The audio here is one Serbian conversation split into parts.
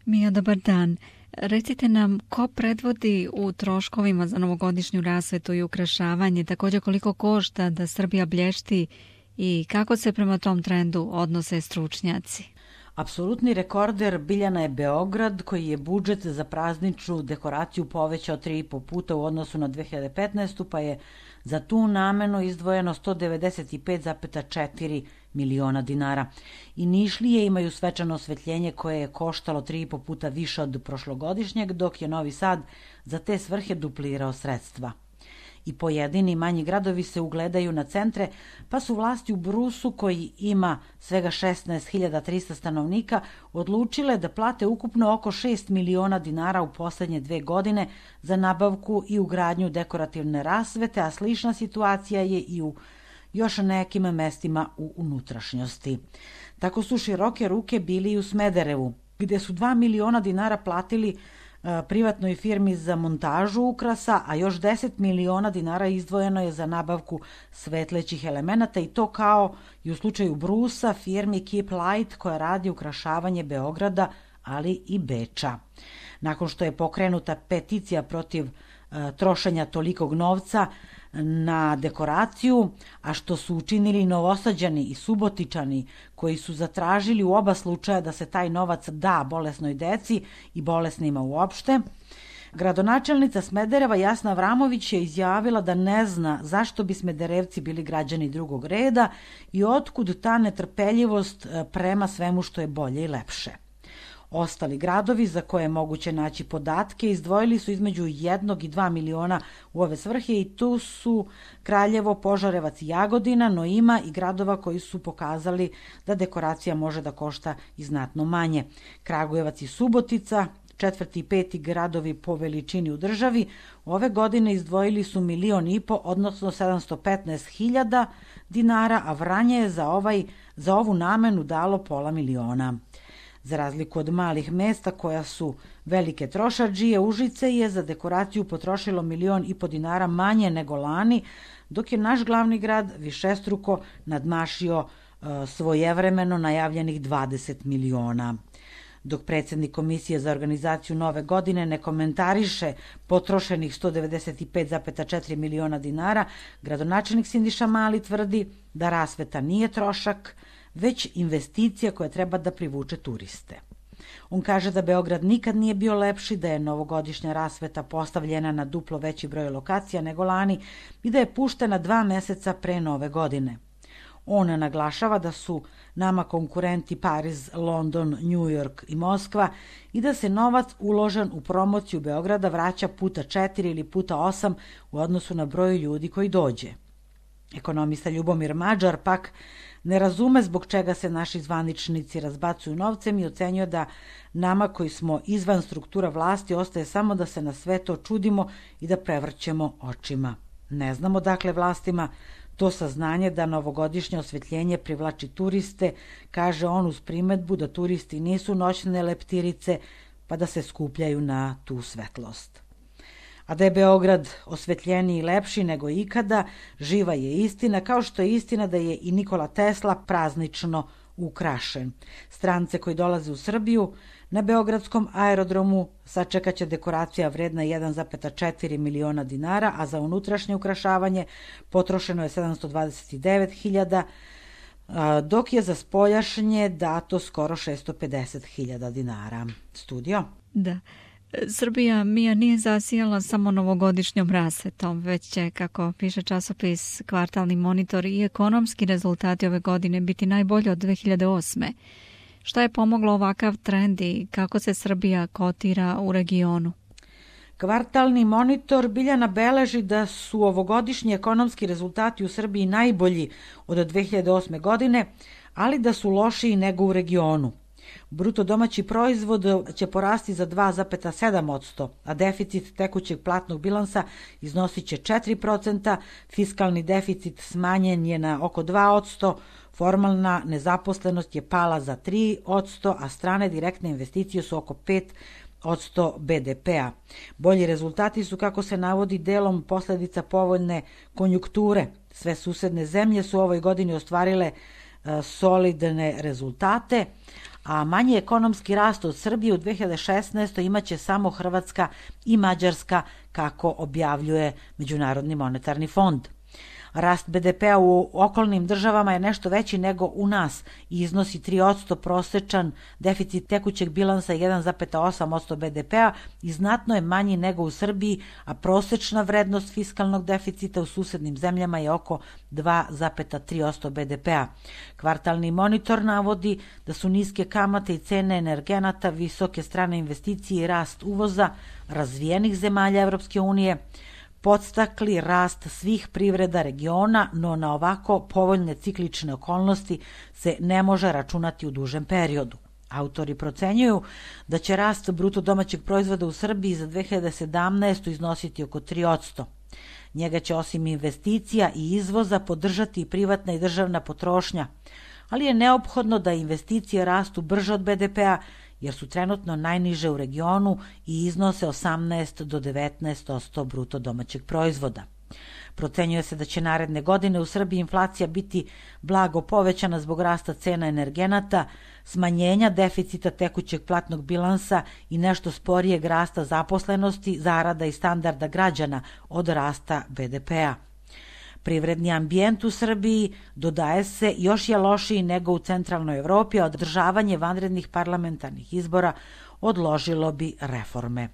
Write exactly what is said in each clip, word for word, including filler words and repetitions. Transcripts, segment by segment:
Mija, dobar dan. Recite nam ko predvodi u troškovima za novogodišnju rasvetu i ukrašavanje, također koliko košta da Srbija blješti i kako se prema tom trendu odnose stručnjaci? Apsolutni rekorder Biljana je Beograd, koji je budžet za prazničnu dekoraciju povećao tri i po puta u odnosu na dve hiljade petnaestu. pa je za tu namenu izdvojeno sto devedeset pet zarez četiri miliona dinara. I Nišlije imaju svečano osvetljenje koje je koštalo tri i po puta više od prošlogodišnjeg, dok je Novi Sad za te svrhe duplirao sredstva. I pojedini manji gradovi se ugledaju na centre, pa su vlasti u Brusu, koji ima svega šesnaest hiljada trista stanovnika, odlučile da plate ukupno oko šest miliona dinara u poslednje dve godine za nabavku i ugradnju dekorativne rasvete, a slična situacija je i u još nekim mestima u unutrašnjosti. Tako su široke ruke bili i u Smederevu, gde su dva miliona dinara platili privatnoj firmi za montažu ukrasa, a još deset miliona dinara izdvojeno je za nabavku svetlećih elemenata, i to kao i u slučaju Brusa firmi Keep Light, koja radi ukrašavanje Beograda, ali i Beča. Nakon što je pokrenuta peticija protiv uh, trošenja tolikog novca na dekoraciju, a što su učinili Novosađani i Subotičani, koji su zatražili u oba slučaja da se taj novac da bolesnoj deci i bolesnima uopšte, gradonačelnica Smedereva Jasna Avramović je izjavila da ne zna zašto bi Smederevci bili građani drugog reda i otkud ta netrpeljivost prema svemu što je bolje i lepše. Ostali gradovi za koje je moguće naći podatke izdvojili su između jednog i dva miliona u ove svrhe, i tu su Kraljevo, Požarevac i Jagodina, no ima i gradova koji su pokazali da dekoracija može da košta i znatno manje. Kragujevac i Subotica, četvrti i peti gradovi po veličini u državi, ove godine izdvojili su milion i po, odnosno sedamsto petnaest hiljada dinara, a Vranje je za, ovaj, za ovu namenu dalo pola miliona. Za razliku od malih mesta koja su velike trošadžije, Užice je za dekoraciju potrošilo milion i po dinara manje nego lani, dok je naš glavni grad višestruko nadmašio e, svojevremeno najavljenih dvadeset miliona. Dok predsjednik Komisije za organizaciju Nove godine ne komentariše potrošenih sto devedeset pet zarez četiri miliona dinara, gradonačelnik Sindiša Mali tvrdi da rasveta nije trošak, već investicija koja treba da privuče turiste. On kaže da Beograd nikad nije bio lepši, da je novogodišnja rasveta postavljena na duplo veći broj lokacija nego lani i da je puštena dva meseca pre Nove godine. On naglašava da su nama konkurenti Pariz, London, New York i Moskva i da se novac uložen u promociju Beograda vraća puta četiri ili puta osam u odnosu na broj ljudi koji dođe. Ekonomista Ljubomir Mađar pak ne razume zbog čega se naši zvaničnici razbacuju novcem i ocenjuje da nama koji smo izvan struktura vlasti ostaje samo da se na sve to čudimo i da prevrćemo očima. Ne znamo dakle vlastima to saznanje da novogodišnje osvetljenje privlači turiste, kaže on uz primetbu da turisti nisu noćne leptirice pa da se skupljaju na tu svetlost. A da je Beograd osvetljeniji i lepši nego ikada, živa je istina, kao što je istina da je i Nikola Tesla praznično ukrašen. Strance koji dolaze u Srbiju na beogradskom aerodromu sačekaće dekoracija vredna jedan zarez četiri miliona dinara, a za unutrašnje ukrašavanje potrošeno je sedamsto dvadeset devet hiljada, dok je za spoljašnje dato skoro šesto pedeset hiljada dinara. Studio? Da. Srbija, Mija, nije zasijala samo novogodišnjom rasvetom, već će, kako piše časopis Kvartalni monitor, i ekonomski rezultati ove godine biti najbolji od dve hiljade osme. Šta je pomoglo ovakav trend i kako se Srbija kotira u regionu? Kvartalni monitor Biljana beleži da su ovogodišnji ekonomski rezultati u Srbiji najbolji od dve hiljade osme godine, ali da su lošiji nego u regionu. Bruto domaći proizvod će porasti za dva zarez sedam posto, a deficit tekućeg platnog bilansa iznosit će četiri procenta, fiskalni deficit smanjen je na oko dva posto, formalna nezaposlenost je pala za tri posto, a strane direktne investicije su oko pet posto be de pea. Bolji rezultati su, kako se navodi, delom posledica povoljne konjunkture. Sve susedne zemlje su u ovoj godini ostvarile solidne rezultate, a manji ekonomski rast od Srbije u dve hiljade šesnaestoj imaće samo Hrvatska i Mađarska, kako objavljuje Međunarodni monetarni fond. Rast be de pea u okolnim državama je nešto veći nego u nas i iznosi tri posto, prosečan deficit tekućeg bilansa je jedan zarez osam posto be de pea i znatno je manji nego u Srbiji, a prosečna vrednost fiskalnog deficita u susednim zemljama je oko dva zarez tri posto be de pea. Kvartalni monitor navodi da su niske kamate i cene energenata, visoke strane investicije i rast uvoza razvijenih zemalja Evropske unije podstakli rast svih privreda regiona, no na ovako povoljne ciklične okolnosti se ne može računati u dužem periodu. Autori procenjuju da će rast bruto domaćeg proizvoda u Srbiji za dve hiljade sedamnaestu. iznositi oko tri posto. Njega će osim investicija i izvoza podržati i privatna i državna potrošnja, ali je neophodno da investicije rastu brže od be de pea, jer su trenutno najniže u regionu i iznose osamnaest do devetnaest posto bruto domaćeg proizvoda. Procenjuje se da će naredne godine u Srbiji inflacija biti blago povećana zbog rasta cena energenata, smanjenja deficita tekućeg platnog bilansa i nešto sporijeg rasta zaposlenosti, zarada i standarda građana od rasta be de pea. Privredni ambijent u Srbiji, dodaje se, još je lošiji nego u centralnoj Evropi, a održavanje vanrednih parlamentarnih izbora odložilo bi reforme.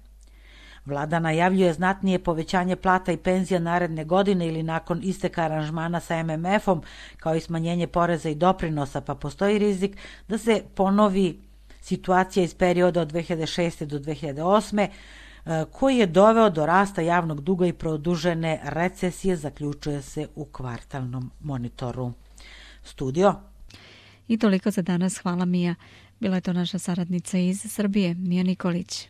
Vlada najavljuje znatnije povećanje plata i penzija naredne godine ili nakon isteka aranžmana sa em em efom, kao i smanjenje poreza i doprinosa, pa postoji rizik da se ponovi situacija iz perioda od dve hiljade šeste. do dve hiljade osme. koji je doveo do rasta javnog duga i produžene recesije, zaključuje se u kvartalnom monitoru. Studio. I toliko za danas. Hvala, Mija. Bila je to naša saradnica iz Srbije, Mija Nikolić.